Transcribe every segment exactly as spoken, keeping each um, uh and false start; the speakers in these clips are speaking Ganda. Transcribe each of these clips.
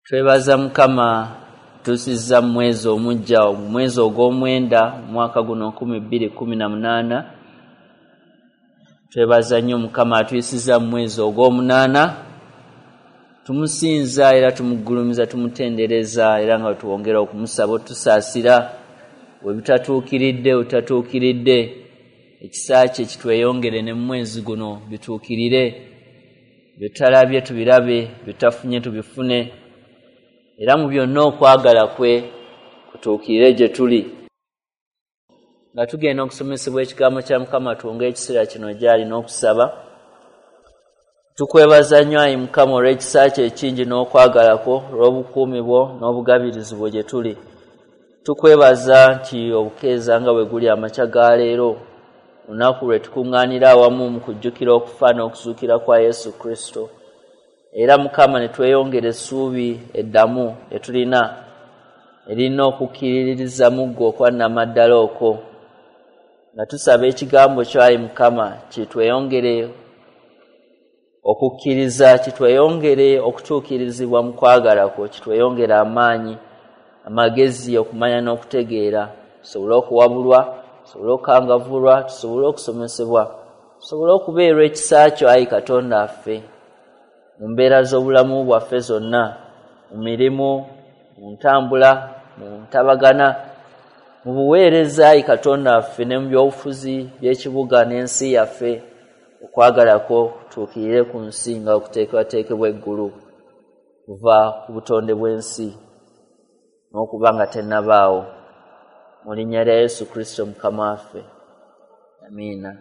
Twebaza Mukama tusizza mwezi omujja, omwezi ogw'omwenda mwaka guno nkumi bbiri kkumi na munaana. Twebaza nnyo Mukama atuyisizza mwezi ogw'omunaana. Tumusinza era tumugulumiza, tumutendereza era nga tuwongera okumusaba otusaasira we bitatuukiridde otatuukiridde, ekisa kye kitweyongere ne mwezi guno bituukirire, byetutalabye tubirabe, byetafunye tubifune, era mu byonna okwagala kwe kutuukirire gye tuli. Nga tugenda okusomesebwa ekigambo kya Mukama, tuwonge ekiseera kino gy'ali n'okusaba. Tukwebaza nnyo ayi Mukama olw'ekisa kye ekingi n'okwagala kwo, olw'obukuumi bwo n'obugabirizi bwo gye tuli. Tukwebaza nti obukeeza nga bwe guli amakya ga leero, olunaku lwe tukuŋŋaanira awamu mu kujjukira okufa n'okuzuukira kwa Yesu Kristo. Era Mukama ne tweyongera essuubi eddamu lye tulina erina okukkiririza mu ggwe okwa nnamaddala okwo. Nga tusaba ekigambo kyo ayi Mukama kitweyongere okukkiriza, kitweyongere okutuukirizibwa mu kwagala kwo, kitweyongere amaanyi, amagezi, okumanya n'okutegeera, tusobole okuwabulwa, tusobole okukangavvulwa, tusobole okusomesebwa, tusobole okubeerwa ekisa kyo ayi Katonda waffe mu mbeera z'obulamu bwaffe zonna, mu mirimu, mu ntambula, mu ntabagana, mu buweereza ayi Katonda waffe, ne mu byobufuzi by'ekibuga n'ensi yaffe. Okwagala kwo kutuukirire ku nsi nga okuteekebwateekebwa eggulu kuva ku butonde bw'ensi n'okuba nga tennabaawo. Mu linnya lya Yesu Kristo Mukama waffe, amiina.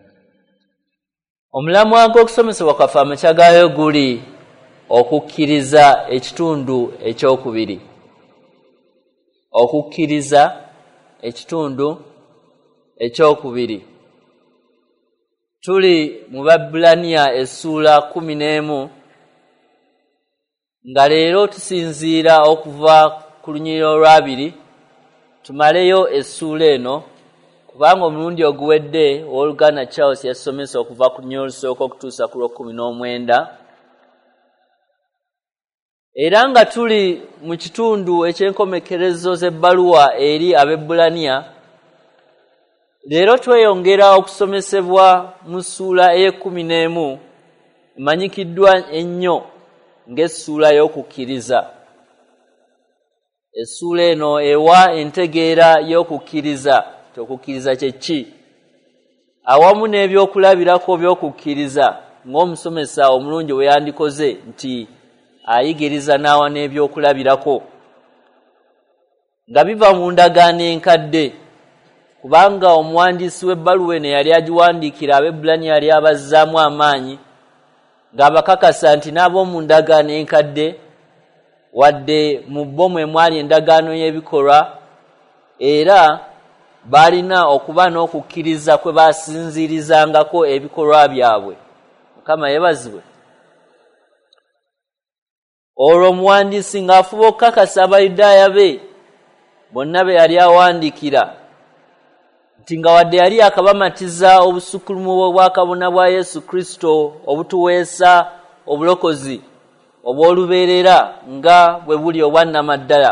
Omulamwa gw'okusomesebwa kwaffe amakya gaayo guli okukkiriza ekitundu ekyokubiri. Okukkiriza ekitundu ekyokubiri. Tuli mu Babbulaniya essuula kkumi n'emu, nga leero tusinziira okuva ku lunyiriri olwabiri tumaleyo essuula eno, kubanga omulundi oguwedde owooluganda Charles yasomesa okuva ku lunyiriri olusooka okutuusa ku lw'ekkumi n'omwenda. Era nga tuli mu kitundu eky'enkomekerezo z'ebbaluwa eri Abaebbulaniya, leero tweyongera okusomesebwa mu ssuula ey'ekkumi n'emu emanyikiddwa ennyo ng'essuula y'okukkiriza. Essuula eno ewa entegeera y'okukkiriza, nti okukkiriza kye ki, awamu n'ebyokulabirako by'okukkiriza ng'omusomesa omulungi bwe yandikoze nti ayigiriza n'awa n'ebyokulabirako nga biva mu ndagaano enkadde, kubanga omuwandiisi w'ebbaluwa eno yali agiwandiikira Abaebbulaniya yali abazzaamu amaanyi ng'abakakasa nti n'ab'omu ndagaano enkadde, wadde mu bo mwe mwali endagaano y'ebikolwa, era baalina okuba n'okukkiriza kwe basinziirizangako ebikolwa byabwe. Mukama yeebazibwe. Olwo omuwandiisi ng'afuba okukakasa Abayudaaya be bonna be yali awandiikira nti nga wadde yali akabamatiza obusukkulumu bw'obwakabona bwa Yesu Kristo obutuweesa obulokozi obw'olubeerera nga bwe buli obwannamaddala,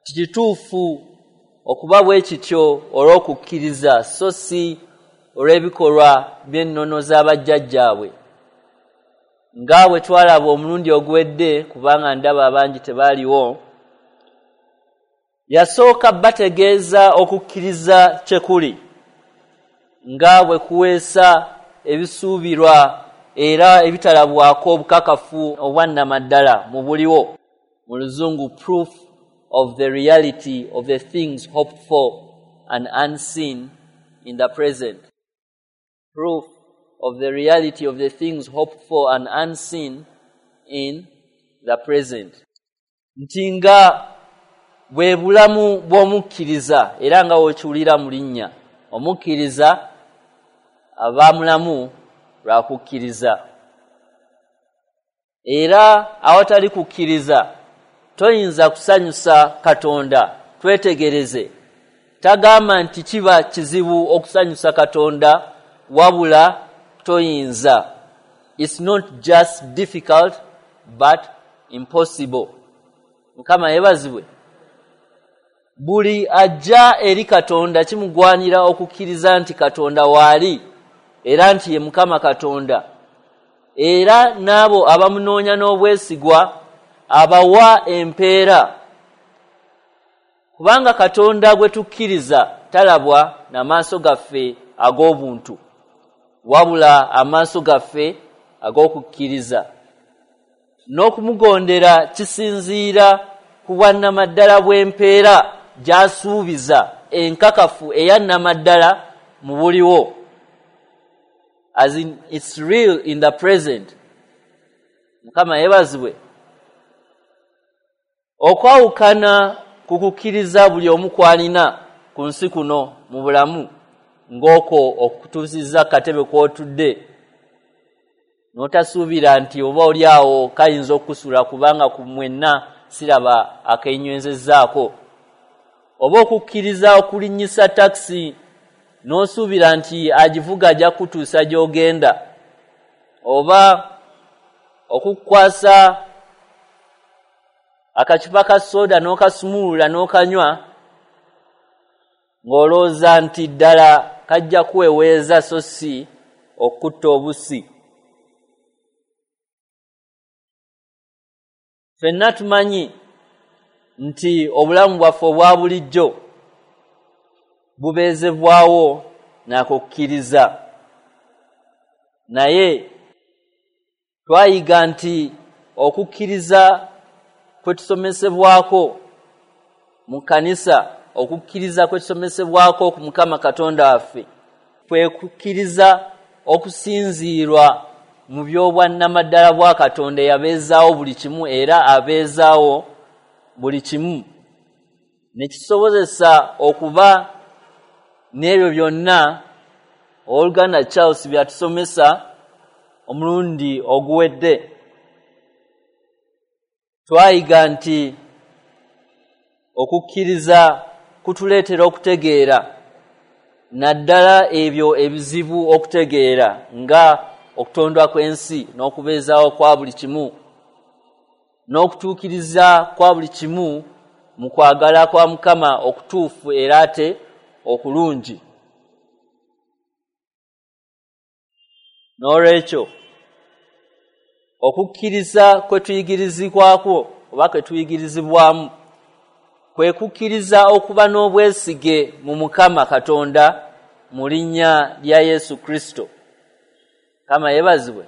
kituufu okuba bwe kityo olw'okukkiriza so si olw'ebikolwa by'ennono z'abajjajjaabwe. Nga bwe twalaba omulundi oguwedde, kubanga ndaba abangi tebaaliwo, yasooka bategeeza okukkiriza kye kuli nga bwe kuweesa ebisuubirwa era ebitalabwako obukakafu obwannamaddala mu buliwo. Mu Luzungu, proof of the reality of the things hoped for and unseen in the present. Proof of the reality of the things hoped for and unseen in the present. Nti nga bwe bulamu bw'omukkiriza, era nga w'okiwulira mu linnya, omukkiriza aba mulamu lwa kukkiriza. Era awatali kukkiriza toyinza kusanyusa Katonda. Twetegereze, tagamba nti kiba kizibu okusanyusa Katonda, wabula toyinza. It's not just difficult but impossible. Mukama yeebazibwe. Buli ajja eri Katonda kimugwanira okukkiriza nti Katonda waali era nti ye Mukama Katonda, era n'abo abamunoonya n'obwesigwa abawa empeera. Kubanga Katonda gwe tukkiriza talabwa n'amaaso gaffe ag'obuntu, wabula amaaso gaffe ag'okukkiriza. N'okumugondera kisinziira ku bwannamaddala bw'empeera gy'asuubiza enkakafu eyannamaddala mu buliwo. As in, it's real in the present. Mukama yeebazibwe. Okwawukana ku kukkiriza buli omu kw'alina ku nsi kuno mu bulamu, ng'okwo okutuusizza katebe kw'otudde, n'otasuubira nti oba oli awo kayinza okukusula kubanga ku mwenna siraba akenywezezzaako, oba okukkiriza okulinnyisa takisi n'osuubira nti agivuga ajja kutuusa gy'ogenda, oba okukwasa akacupa ka soda n'okasumulula n'okanywa ng'olowooza nti ddala kajja kuweweeza so si okutta obusi. Ffenna tumanyi nti obulamu bwaffe obwa bulijjo bubeezebwawo nakukkiriza, naye twayiga nti okukkiriza kwe tusomesebwako mu kkanisa, okukkiriza kwe tusomesebwako ku Mukama Katonda waffe kwe kukkiriza okusinziirwa mu by'obwannamaddala bwa Katonda eyabeezaawo buli kimu era abeezaawo buli kimu, ne kisobozesa okuba n'ebyo byonna owooluganda Charles byatusomesa omulundi oguwedde. Twayiga nti okukkiriza kutuleetera okutegeera, naddala ebyo ebizibu okutegeera nga okutondwa kw'ensi n'okubeezaawo kwa buli kimu n'okutuukiriza kwa buli kimu mu kwagala kwa Mukama okutuufu era ate okulungi. N'olwekyo okukkiriza kwe tuyigirizibwako oba kwe tuyigirizibwamu kwe kukkiriza okuba n'obwesige mu Mukama Katonda mu linnya lya Yesu Kristo. Kama yeebazibwe.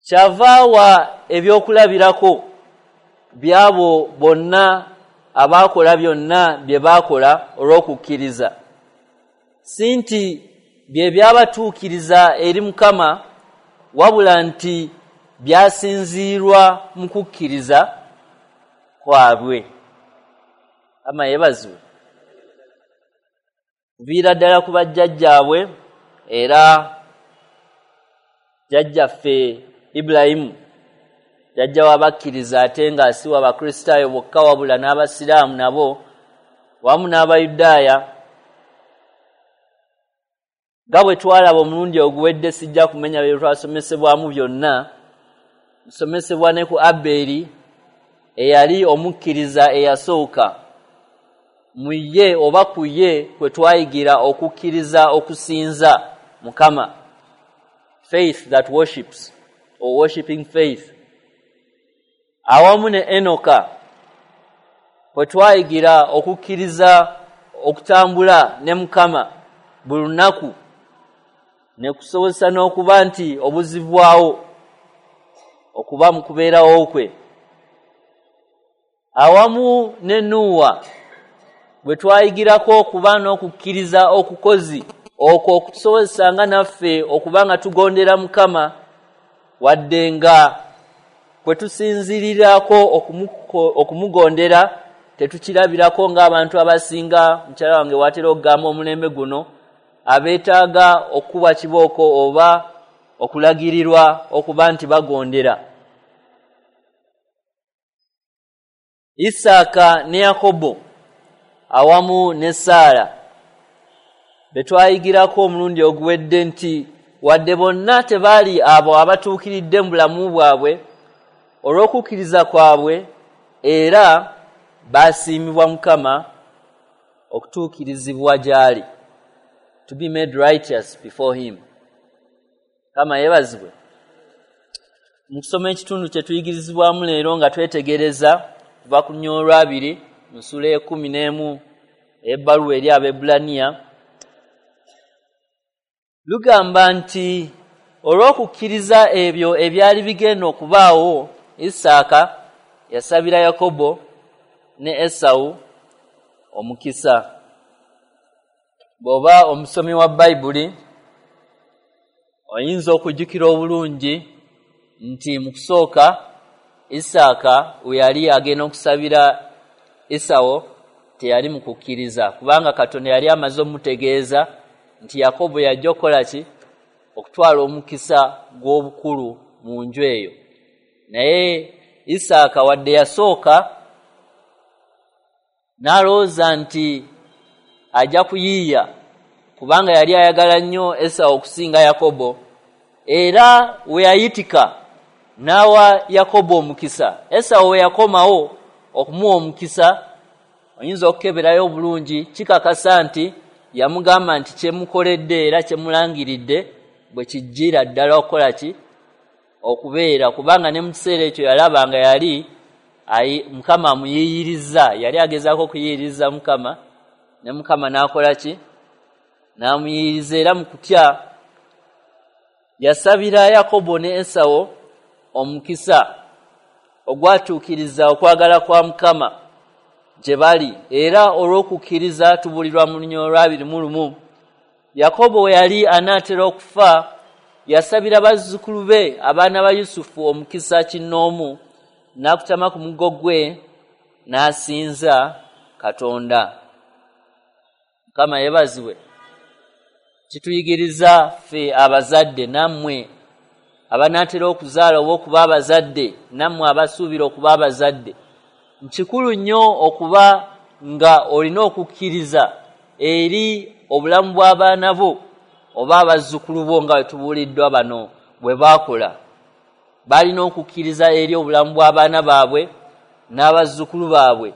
Kyavaawa ebyokulabirako byabo bonna abaakola byonna bye baakola olw'okukkiriza, si nti bye byabatuukiriza eri Mukama, wabula nti byasinziirwa mu kukkiriza kwabwe. Kama yeebazibwe. Kuviira ddala ku bajjajjaabwe, era jjajjaffe Ibulayimu jjajja w'abakkiriza ate nga si w'Abakristaayo bokka wabula n'Abasiraamu nabo wamu n'Abayudaaya. Nga bwe twalaba omulundi oguwedde, sijja kumenya bye twasomesebwamu byonna. Nsomesebwa ne ku Abbeeri eyali omukkiriza eyasooka. Mu ye oba ku ye kwe twayigira okukkiriza okusinza Mukama, faith that worships or worshiping faith. Awamu ne Enoka kwe twayigira okukkiriza okutambula ne Mukama buli lunaku, ne kusobozesa n'okuba nti obuzibwawo okuba mu kubeerawo kwe. Awamu ne Nuuwa bwe twayigirako okuba n'okukkiriza okukozi okwo okutusobozesa nga naffe okuba nga tugondera Mukama, wadde nga kwe tusinziirirako okumugondera tetukirabirako ng'abantu abasinga. Mukyala wange watera okugamba omulembe guno abeetaaga okukubwa kibooko oba okulagirirwa okuba nti bagondera. Isaaka ne Yakobo awamu ne Saala be twayigirako omulundi oguwedde nti wadde bonna tebaali abo abatuukiridde mu bulamu bwabwe, olw'okukkiriza kwabwe era basiimibwa Mukama okutuukirizibwa gy'ali, to be made righteous before him. Mukama yeebazibwe. Mu kusoma ekitundu kye tuyigirizibwamu leero nga twetegereza kuva ku lunyiriri olwabiri mu ssuula ey'ekkumi n'emu ey'ebbaluwa eri Abaebbulaniya, lugamba nti olw'okukkiriza ebyo ebyali bigenda okubaawo, Isaaka yasabira Yakobo ne Esawu omukisa. Bw'oba omusomi wa Bayibuli oyinza okujjukira obulungi nti mu kusooka Isaaka we yali agenda okusabira Esawu teyali mu kukkiriza, kubanga Katonda yali amaze omutegeeza nti Yakobo yajja okukola ki? Okutwala omukisa gw'obukulu mu nju eyo. Naye Isaaka wadde yasooka n'alowooza nti ajja kuyiiya, kubanga yali ayagala nnyo Esawu okusinga Yakobo, era we yayitika n'awa Yakobo omukisa. Esawu we yakomawo okumuwa omukisa, oyinza okukeberayo obulungi, kikakasa nti yamugamba nti kyemukoledde era kyemulangiridde bwe kijjira ddala okukola ki? Okubeera, kubanga ne mu kiseera ekyo yalaba nga yali Mukama amuyiiyirizza, yali agezaako okuyiyiriza Mukama, ne Mukama n'akola ki? N'amuyiyiriza. Era mu kutya yasabira Yakobo ne Esawu omukisa ogwatuukiriza okwagala kwa Mukama gye bali. Era olw'okukkiriza tubulirwa mu lunyiriri olwabiri mu lumu, Yakobo we yali anaatera okufa yasabira bazzukulu be abaana ba Yusufu omukisa kinnoomu, n'akutama ku muggo gwe n'asinza Katonda. Mukama yeebazibwe. Kituyigiriza ffe abazadde, nammwe abanaatera okuzaala oba okuba abazadde, nammwe abasuubira okuba abazadde, nkikulu nnyo okuba nga olina okukkiriza eri obulamu bw'abaana bo oba abazzukulu bo, nga bwe tubuuliddwa bano bwe baakola. Balina okukkiriza eri obulamu bw'abaana baabwe n'abazzukulu baabwe,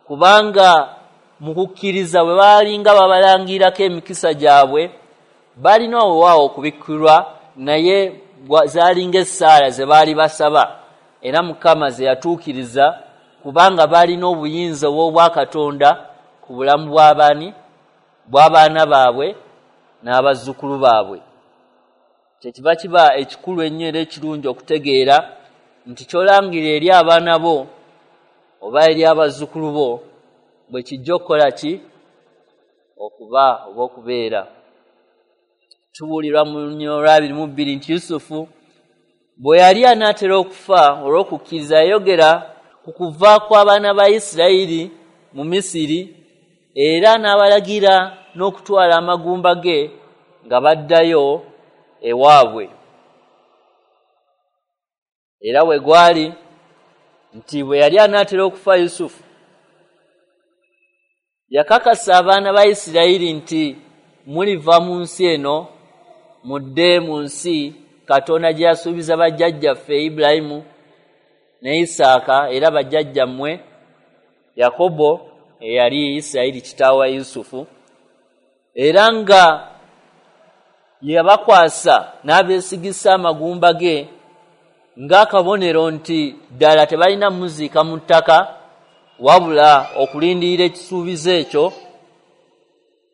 kubanga mu kukkiriza bwe baalinga babalangirako emikisa gyabwe, balina weewaawo okubikkulwa, naye zaalinga essaala ze baali basaba, era Mukama ze yatuukiriza, kubanga balina obuyinza obw'Obwakatonda ku bulamu bw'abaani bw'abaana baabwe n'abazzukulu baabwe. Kyekiva kiba ekikulu ennyo era ekirungi okutegeera nti ky'olangira eri abaana bo oba eri abazzukulu bo bwe kijja okukola ki? Okuba oba okubeera. Tubuulirwa mu lunyiriri olwabiri mu bbiri nti Yusufu bwe yali anaatera okufa olw'okukkiriza yayogera ku kuva kw'abaana ba Isirayiri mu Misiri, era n'abalagira n'okutwala amagumba ge nga baddayo ewaabwe. Era bwe gwali nti bwe yali anaatera okufa Yusufu yakakasa abaana ba Isirayiri nti muliva mu nsi eno mudde mu nsi Katonda gye yasuubiza bajjajjaffe Ibulayimu ne Isaaka, era bajjajjammwe Yakobo eyali Isirayiri kitaawe wa Yusufu, era nga yabakwasa n'abeesigisa amagumba ge ng'akabonero nti ddala tebalina muziika mu ttaka, wabula okulindirira ekisuubizo ekyo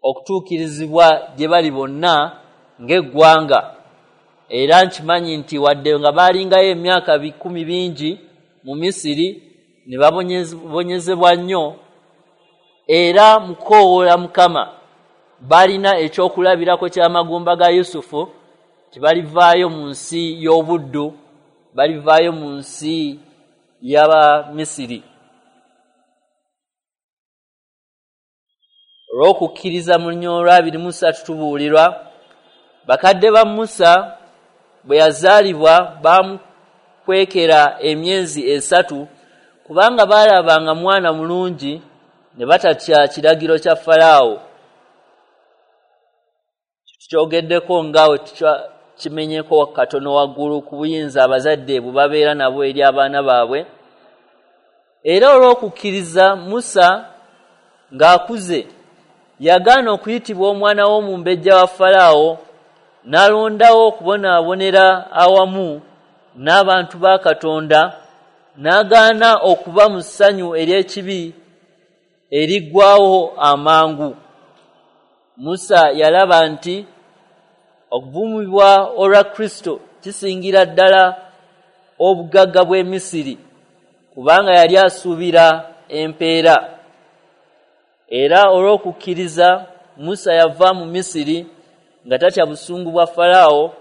okutuukirizibwa gye bali bonna ng'eggwanga. Era nkimanyi nti wadde nga baalingayo emyaka bikumi bingi mu Misiri ne babonyezebwa nnyo, era mu kukoowoola Mukama balina ekyokulabirako ky'amagumba ga Yusufu, tibalivaayo mu nsi y'obuddu, balivaayo mu nsi y'Abamisiri. Olw'okukkiriza mu lunyiriri olwabiri mu ssatu tubuulirwa bakadde ba Musa bwe yazaalibwa bamukwekera emyezi esatu, kubanga baalabanga mwana mulungi ne batatya kiragiro kya Falaawo. Tukyogeddeko nga Kimenyeko katono waggulu ku buyinza abazadde bwe babeera nabo eri abaana baabwe. Era olw'okukkiriza Musa ng'akuze yagaana okuyitibwa omwana w'omumbejja wa Falaawo, n'alondawo okubonaabonera awamu n'abantu ba Katonda, n'agaana okuba mu ssanyu ery'ekibi eriggwawo amangu. Musa yalaba nti okuvumibwa olwa Kristo kisingira ddala obugagga bw'e Misiri, kubanga yali asuubira empeera. Era olw'okukkiriza Musa yava mu Misiri nga tatya busungu bwa Falaawo,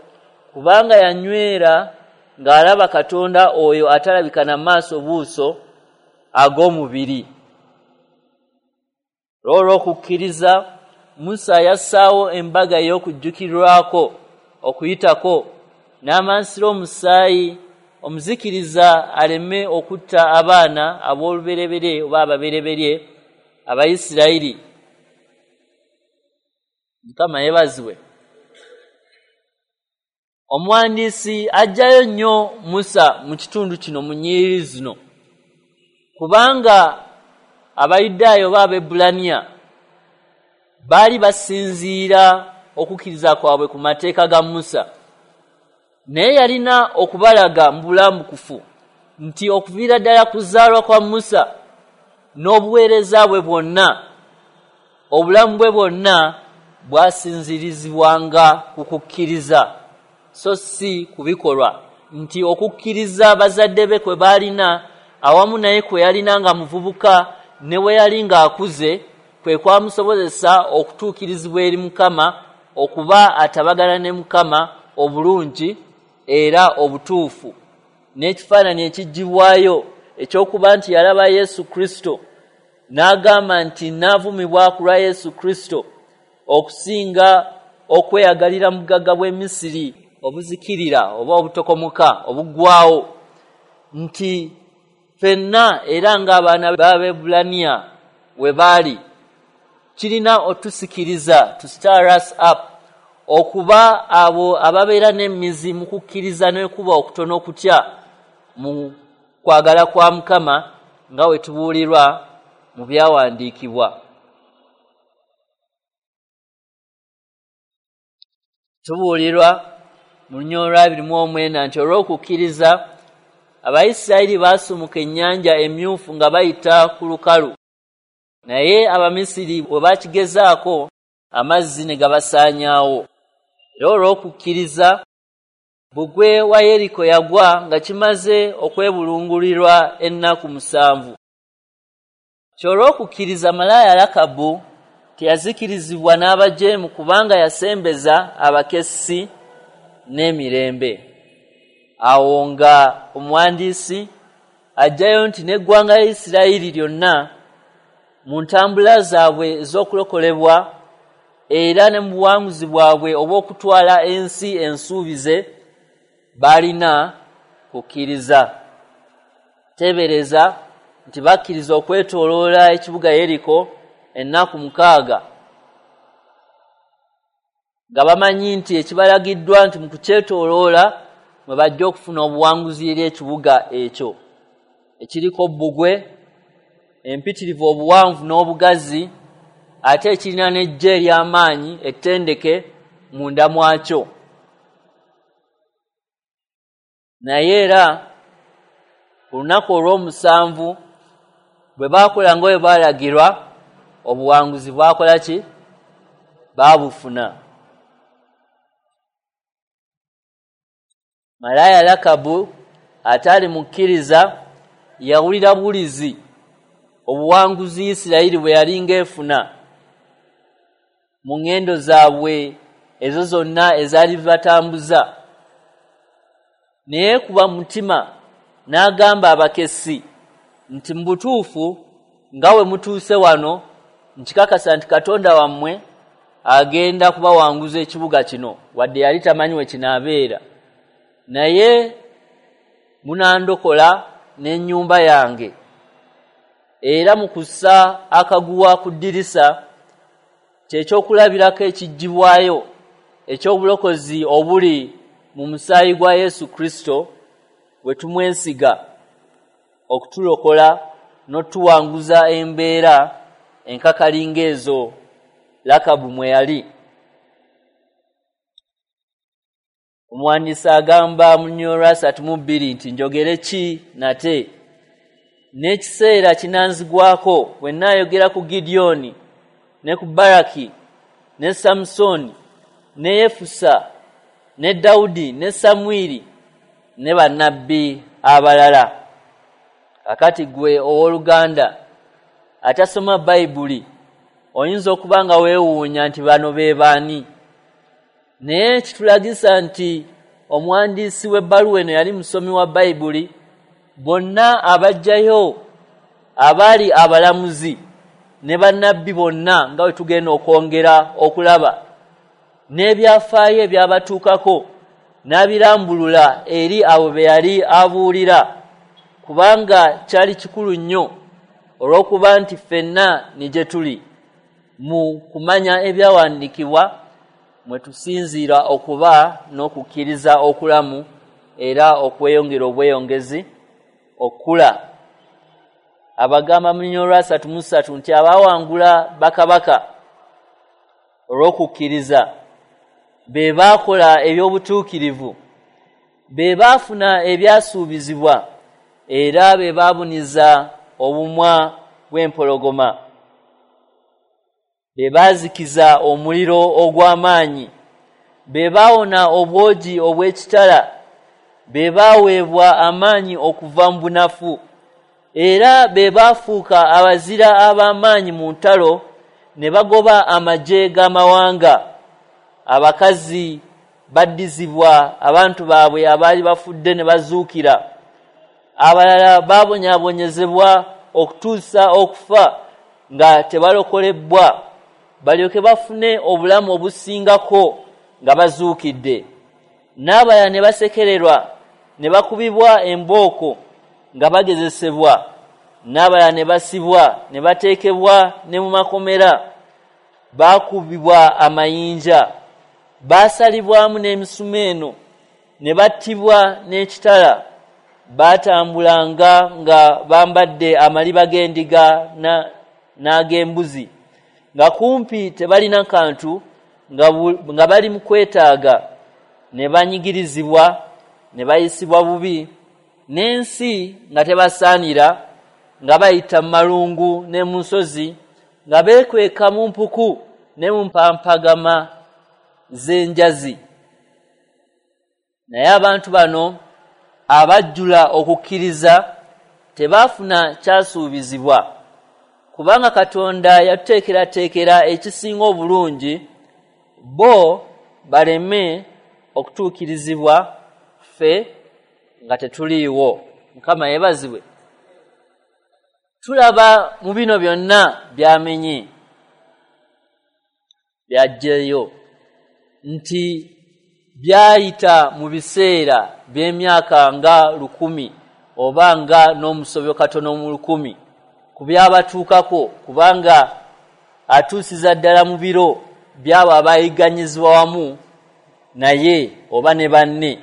kubanga yanywera ng'alaba Katonda oyo atalabika na maaso buuso ag'omubiri. Olw'okukkiriza Musa yassaawo embaga ey'okujjukirwako okuyitako, n'amansira omusaayi omuzikiriza aleme okutta abaana ab'olubereberye oba ababereberye Abayisirayiri. Mukama yeebazibwe. Omuwandiisi ajjayo nnyo Musa mu kitundu kino mu nnyiriri zino, kubanga Abayudaaya oba Abaebbulaniya baali basinziira okukkiriza kwabwe ku mateeka ga Musa, naye yalina okubalaga mu bulambukufu nti okuviira ddala kuzaalwa kwa Musa n'obuweereza bwe bwonna, obulamu bwe bwonna bwasinzirizibwanga ku kukkiriza so si ku bikolwa, nti okukkiriza bazadde be kwe baalina awamu naye kwe yalina nga muvubuka ne bwe yali ng'akuze kwe kwamusobozesa okutuukirizibwa eri Mukama, okuba atabagana ne Mukama obulungi era obutuufu. N'ekifaananyi ekiggyibwayo ekyokuba nti yalaba Yesu Kristo n'agamba nti naavumibwa ku lwa Yesu Kristo okusinga okweyagalira mu bugagga bw'e Misiri obuzikirira oba obutokomoka obuggwawo, nti ffenna era ng'abaana b'Abaebbulaniya we baali kirina otusikiriza, to stir us up, okuba abo ababeera n'emizi mu kukkiriza n'ekuba okutono okutya mu kwagala kwa Mukama nga we tubuulirwa mu byawandiikibwa. Tubuulirwa mu lunyiriri lwa abiri mu omwenda nti olw'okukkiriza Abayisirayiri baasumuka ennyanja emyufu nga bayita ku lukalu, naye Abamisiri bwe bakigezaako amazzi ne gabasaanyaawo. Era olw'okukkiriza bbugwe wa Yeriko yagwa nga kimaze okwebulungulirwa ennaku musanvu. Ky'olw'okukkiriza malaaya Lakabu teyazikirizibwa n'abajeemu, kubanga yasembeza abakessi n'emirembe. Awo nga omuwandiisi ajjayo nti n'eggwanga lya Isirayiri lyonna mu ntambula zaabwe ez'okulokolebwa era ne mu buwanguzi bwabwe obw'okutwala ensi ensuubize balina kukkiriza. Teebereza nti bakkiriza okwetooloola ekibuga Yeriko ennaku mukaaga nga bamanyi nti ekibalagiddwa nti mu kukyetooloola mwe bajja okufuna obuwanguzi eri ekibuga ekyo ekiriko bbugwe empitirivu obuwanvu n'obugazi, ate ekirina n'eggye ery'amaanyi ettendeke munda mwakyo. Naye era ku lunaku olw'omusanvu bwe baakola nga bwe baalagirwa, obuwanguzi bwakola ki? Baabufuna. Malaaya Lakabu ataali mukkiriza yawulira buwulizi obuwanguzi Isirayiri bwe yali ng'efuna mu ŋŋendo zaabwe ezo zonna ezaali zibatambuza, naye kuba mutima n'agamba abakessi nti mu butuufu nga we mutuuse wano nkikakasa nti Katonda wammwe agenda kubawanguza ekibuga kino, wadde yali tamanyi we kinaabeera, naye munandokola n'ennyumba yange. Era mu kussa akaguwa ku ddirisa kyekyokulabirako ekiggyibwayo eky'obulokozi obuli mu musaayi gwa Yesu Kristo bwe tumwesiga okutulokola n'otuwanguza embeera enkakalinga ezo Lakabu mwe yali. Omuwandiisi agamba mu nnyolo asatu mu bbiri nti njogere ki nate? N'ekiseera kinanzigwako bwe nnaayogera ku Gidyoni ne ku Baraki ne Samusoni ne Yefusa ne Dawudi ne Samwiri ne bannabbi abalala. Kakati gwe owooluganda atasoma Bayibuli oyinza okuba nga weewuunya nti bano be baani, naye kitulagisa nti omuwandiisi w'ebbaluwa eno yali musomi wa Bayibuli. Bonna abajjayo abaali abalamuzi ne bannabbi bonna nga bwe tugenda okwongera okulaba n'ebyafaayo ebyabatuukako n'abirambulula eri abo be yali abuulira, kubanga kyali kikulu nnyo olw'okuba nti ffenna ni gye tuli mu kumanya ebyawandiikibwa mwe tusinziira okuba n'okukkiriza okulamu era okweyongera obweyongezi okula. Abagamba mu nnyolo asatu mu ssatu nti abaawangula bakabaka olw'okukkiriza be baakola eby'obutuukirivu, be baafuna ebyasuubizibwa, era be baabuniza obumwa bw'empologoma, be baazikiza omuliro ogw'amaanyi, be baawona obwogi obw'ekitala, be baaweebwa amaanyi okuva mu bunafu, era be baafuuka abazira ab'amaanyi mu ntalo ne bagoba amagye g'amawanga. Abakazi baddizibwa abantu baabwe abaali bafudde ne bazuukira. Abalala baabonyaabonyezebwa okutuusa okufa nga tebalokolebwa, balyoke bafune obulamu obusingako nga bazuukidde. N'abalala ne basekererwa ne bakubibwa embooko nga bagezesebwa, n'abalala ne basibwa ne bateekebwa ne mu makomera, baakubibwa amayinja, baasalibwamu n'emisumeeno ne battibwa n'ekitala, baatambulanga nga bambadde amaliba g'endiga n'ag'embuzi, nga kumpi tebalina kantu, nga bali mu kwetaaga, ne banyigirizibwa ne bayisibwa bubi, n'ensi nga tebasaanira, nga bayita mu malungu ne mu nsozi, nga beekweka mu mpuku ne mu mpampagama z'enjazi. Naye abantu bano abajjula okukkiriza tebaafuna kyasuubizibwa, kubanga Katonda yatuteekerateekera ekisinga obulungi bo baleme okutuukirizibwa ffe nga tetuliiwo. Mukama yeebazibwe. Tulaba mu bino byonna byamenye byajjeyo nti byayita mu biseera by'emyaka nga lukumi oba nga n'omusobyo katono mu lukumi ku byabatuukako, kubanga atuusiza ddala mu biro byabo abayigganyizibwa wamu naye oba ne banne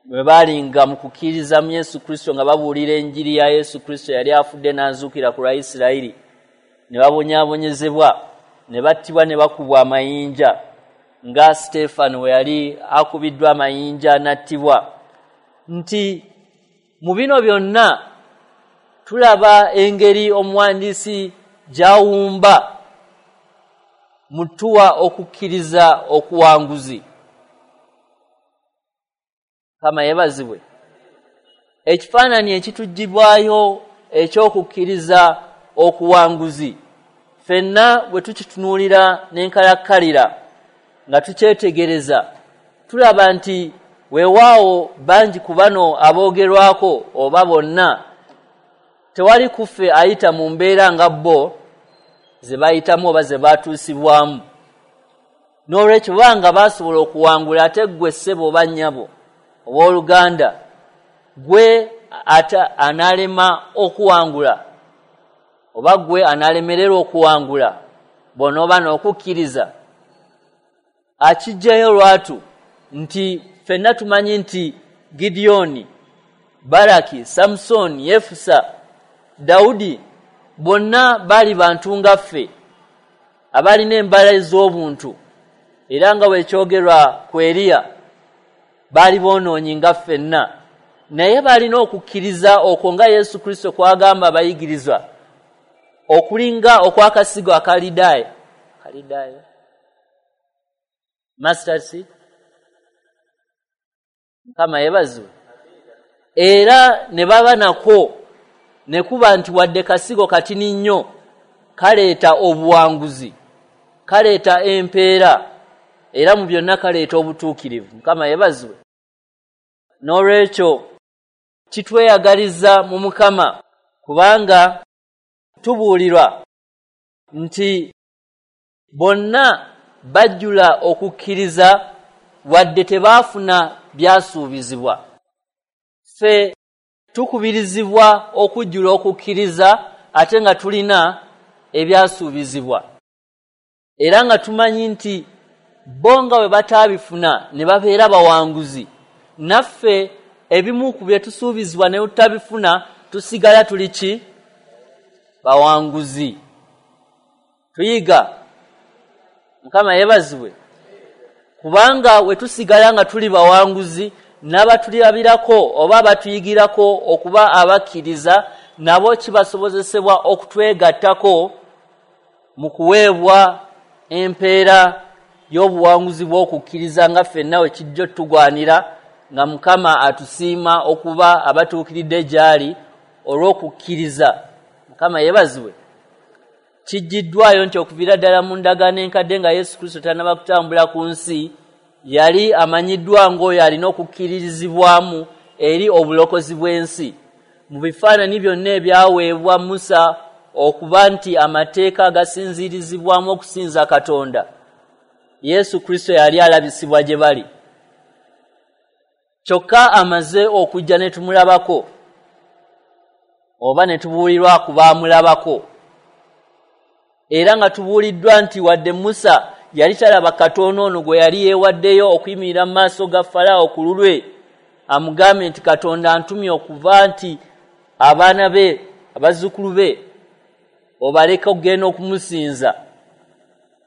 bwe baalinga mu kukkiriza mu Yesu Kristo, nga babuulira enjiri ya Yesu Kristo yali afudde n'azuukira ku lwa Isirayiri, ne babonyaabonyezebwa ne battibwa ne bakubwa amayinja nga Siteefano we yali akubiddwa amayinja n'attibwa. Nti mu bino byonna tulaba engeri omuwandiisi gy'awumba mutuwa okukkiriza okuwanguzi. Kama yeebazibwe. Ekifaananyi ekituggyibwayo eky'okukkiriza okuwanguzi ffenna bwe tukitunuulira n'enkalakkalira nga tukyetegereza, tulaba nti weewaawo bangi ku bano aboogerwako oba bonna tewali kuffe ayita mu mbeera nga bo ze bayitamu oba ze baatuusibwamu. N'olwekyo banga baasobola okuwangula, ate ggwe ssebo oba nnyabo owooluganda gwe ate anaalema okuwangula oba gwe anaalemererwa okuwangula bw'onooba n'okukkiriza. Akiggyayo lwatu nti ffenna tumanyi nti Gideoni, Baraki, Samson, Yefusa, Dawudi bonna bali bantu nga ffe abalina embala ez'obuntu, era nga bwekyogerwa ku Eriya baali boonoonyi nga ffenna, naye balina okukkiriza okwo nga Yesu Kristo kwagamba abayigirizwa okulinga okw'akasigo akalidaayo kalidaayo mustard seed. Mukama yeebazibwe. Era ne baba nako ne kuba nti wadde kasigo katini nnyo kaleeta obuwanguzi, kaleeta empeera, era mu byonna kaleeta obutuukirivu. Mukama yeebazibwe. N'olwekyo kitweyagaliza mu Mukama, kubanga tubuulirwa nti bonna bajjula okukkiriza wadde tebaafuna byasuubizibwa. Ffe tukubirizibwa okujjula okukkiriza ate nga tulina ebyasuubizibwa, era nga tumanyi nti bo nga bwe bataabifuna ne babeera bawanguzi, naffe ebimu ku bye tusuubizibwa ne tutabifuna tusigala tuli ki? Bawanguzi. Tuyiga. Mukama yeebazibwe. Kubanga we tusigala nga tuli bawanguzi, n'abatulabirako oba abatuyigirako okuba abakkiriza nabo kibasobozesebwa okutwegattako mu kuweebwa empeera y'obuwanguzi bw'okukkiriza nga ffenna we kijja tugwanira, nga Mukama atusiima okuba abatuukiridde gy'ali olw'okukkiriza. Mukama yeebazibwe. Kijjiddwayo nti okuviira ddala mu ndagaano enkadde nga Yesu Kristo tannaba kutambula ku nsi, yali amanyiddwa ng'oyo alina okukkiririzibwamu eri obulokozi bw'ensi. Mu bifaananyi byonna ebyaweebwa Musa okuba nti amateeka agasinziirizibwamu okusinza Katonda, Yesu Kristo yali alabisibwa gye bali. Kyokka amaze okujja ne tumulabako oba ne tubuulirwa ku baamulabako, era nga tubuuliddwa nti wadde Musa yali talaba Katonda ono gwe yali yeewaddeyo okuyimirira mu maaso ga Falaawo ku lulwe amugambe nti Katonda antumye okuva nti abaana be abazzukulu be obaleka okugenda okumusinza.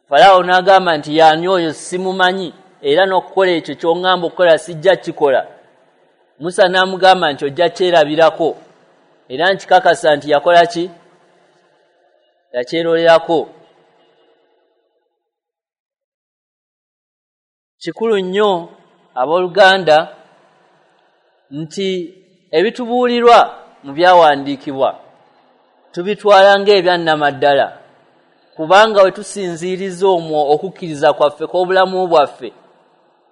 Falaawo n'agamba nti yaani oyo simumanyi, era n'okukola ekyo ky'oŋŋamba okukola sijja kikola. Musa n'amugamba nti ojja kyerabirako, era nkikakasa nti yakola ki? Yakyerolerako. Kikulu nnyo abooluganda nti ebitubuulirwa mu byawandiikibwa tubitwala ng'ebyannamaddala, kubanga we tusinziiriza omwo okukkiriza kwaffe kw'obulamu bwaffe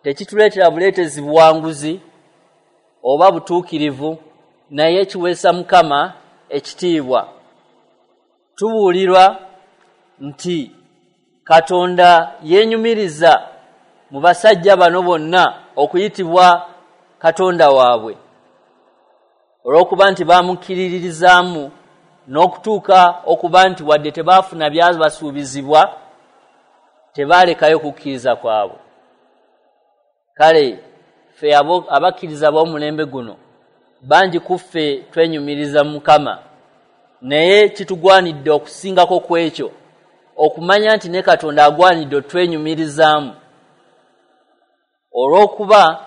tekituleetera buleetezi buwanguzi oba butuukirivu, naye kiweesa Mukama ekitiibwa. Tubuulirwa nti Katonda yeenyumiriza mu basajja bano bonna okuyitibwa Katonda waabwe, olw'okuba nti baamukkiririzaamu n'okutuuka okuba nti wadde tebaafuna byabasuubizibwa tebaalekayo kukkiriza kwabwe. Kale ffe abakkiriza b'omulembe guno bangi ku ffe twenyumiriza Mukama, naye kitugwanidde okusingako ku ekyo okumanya nti ne Katonda agwanidde otwenyumirizaamu, olw'okuba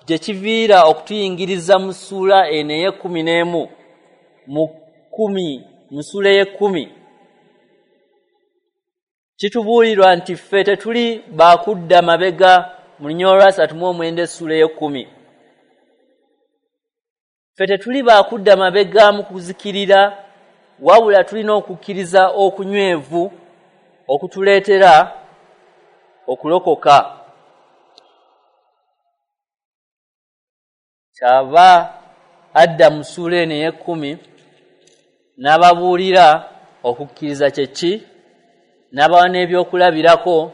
gye kiviira okutuyingiriza mu ssuula eno ey'ekkumi n'emu mu kkumi mu ssuula ey'ekkumi kitubuulirwa nti ffe tetuli baakudda mabega mu lunyiriri olwasatu mu omwenda essuula ey'ekkumi. Ffe tetuli baakudda mabega mu kuzikirira, wabula tulina okukkiriza okunywevu okutuleetera okulokoka. Kyava adda mu ssuula eno ey'ekkumi n'ababuulira okukkiriza kye ki, n'abawa n'ebyokulabirako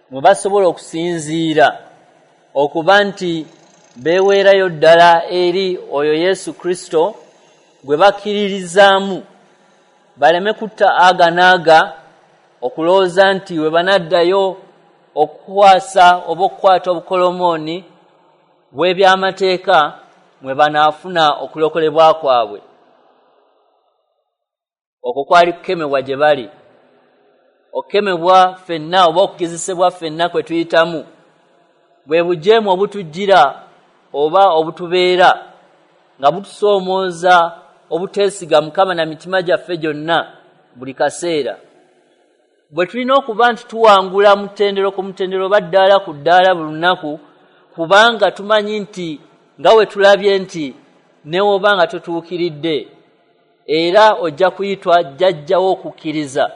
mwe basobola okusinziira okuba nti beeweerayo ddala eri oyo Yesu Kristo gwe bakkiririzaamu, baleme kutta aga n'aga okulowooza nti we banaddayo okukwasa oba okukwata obukolomooni bw'ebyamateeka mwe banaafuna okulokolebwa kwabwe. Okwo kwali kukemebwa gye bali, okukemebwa ffenna oba okugezesebwa ffenna kwe tuyitamu, bwe bujeemu obutujjira oba obutubeera nga butusoomooza obuteesiga Mukama na mitima gyaffe gyonna buli kaseera. Bwe tulina okuba nti tuwangula mutendero ku mutendero oba ddaala ku ddaala buli lunaku, kubanga tumanyi nti nga we tulabye nti ne woba nga totuukiridde era ojja kuyitwa jjajjawo okukkiriza.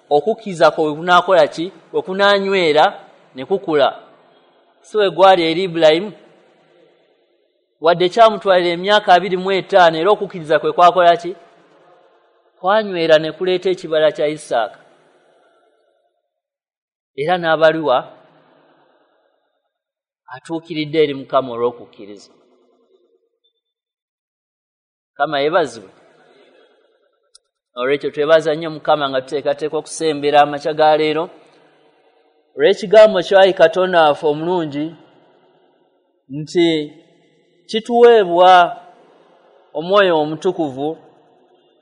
Okukkiriza kwo we kunaakola ki? We kunaanywera ne kukula. Si we gwali eri Ibulayimu, wadde kyamutwalira emyaka abiri mu etaano, era okukkiriza kwe kwakola ki? Kwanywera ne kuleeta ekibala kya Isaaka. Era n'abaliwa atuukiridde eri Mukama olw'okukkiriza. Mukama yeebazibwe. Olwekyo twebaza nnyo Mukama nga tuteekateeka okusembera amakya ga leero olw'ekigambo kyo, ayi Katonda waffe omulungi, nti kituweebwa Omwoyo Omutukuvu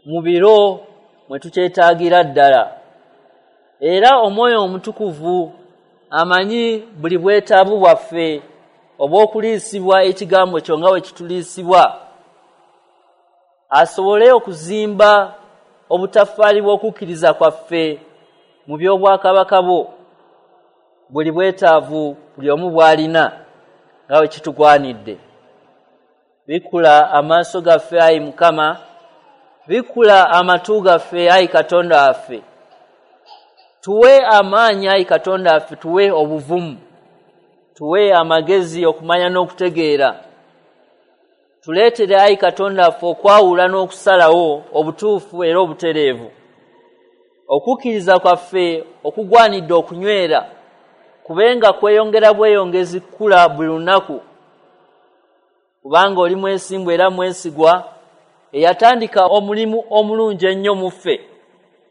mu biro mwe tukyetaagira ddala. Era Omwoyo Omutukuvu amanyi buli bwetaavu bwaffe obw'okuliisibwa ekigambo kyo nga bwe kituliisibwa, asobole okuzimba obutaffaali bw'okukkiriza kwaffe mu by'obwakabaka bwo, buli bwetaavu buli omu bw'alina nga bwe kitugwanidde. Bikkula amaaso gaffe, ayi Mukama, bikkula amatu gaffe, ayi Katonda waffe. Tuwe amaanyi, ayi Katonda waffe, tuwe obuvumu, tuwe amagezi okumanya n'okutegeera. Tuleetere, ayi Katonda waffe, okwawula n'okusalawo obutuufu era obutereevu. Okukkiriza kwaffe okugwanidde okunywera kubenga kweyongera bweyongezi kukula buli lunaku, kubanga oli mwesimbu era mwesigwa, eyatandika omulimu omulungi ennyo mu ffe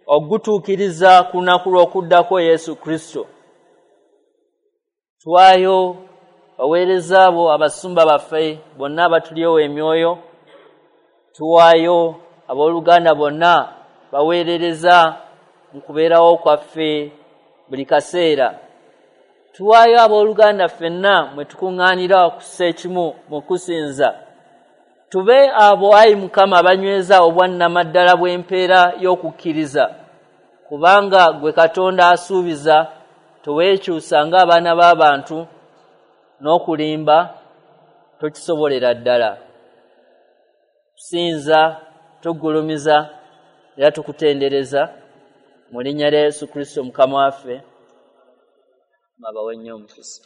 ogutuukiriza ku lunaku lw'okuddako Yesu Kristo. Tuwaayo baweereza abo abasumba baffe bonna abatulyowa emyoyo, tuwaayo abooluganda bonna baweerereza mu kubeerawo kwaffe buli kaseera. Tuwaayo abooluganda ffenna mwe tukuŋŋaanira okussa ekimu mu kusinza. Tube abo, ayi Mukama, abanyweza obwannamaddala bw'empeera y'okukkiriza, kubanga gwe Katonda asuubiza teweekyusa ng'abaana b'abantu, n'okulimba tokisobolera ddala. Tusinza, tugulumiza era tukutendereza mu linnya lya Yesu Kristo Mukama waffe. Mabawe nnyo omukisa.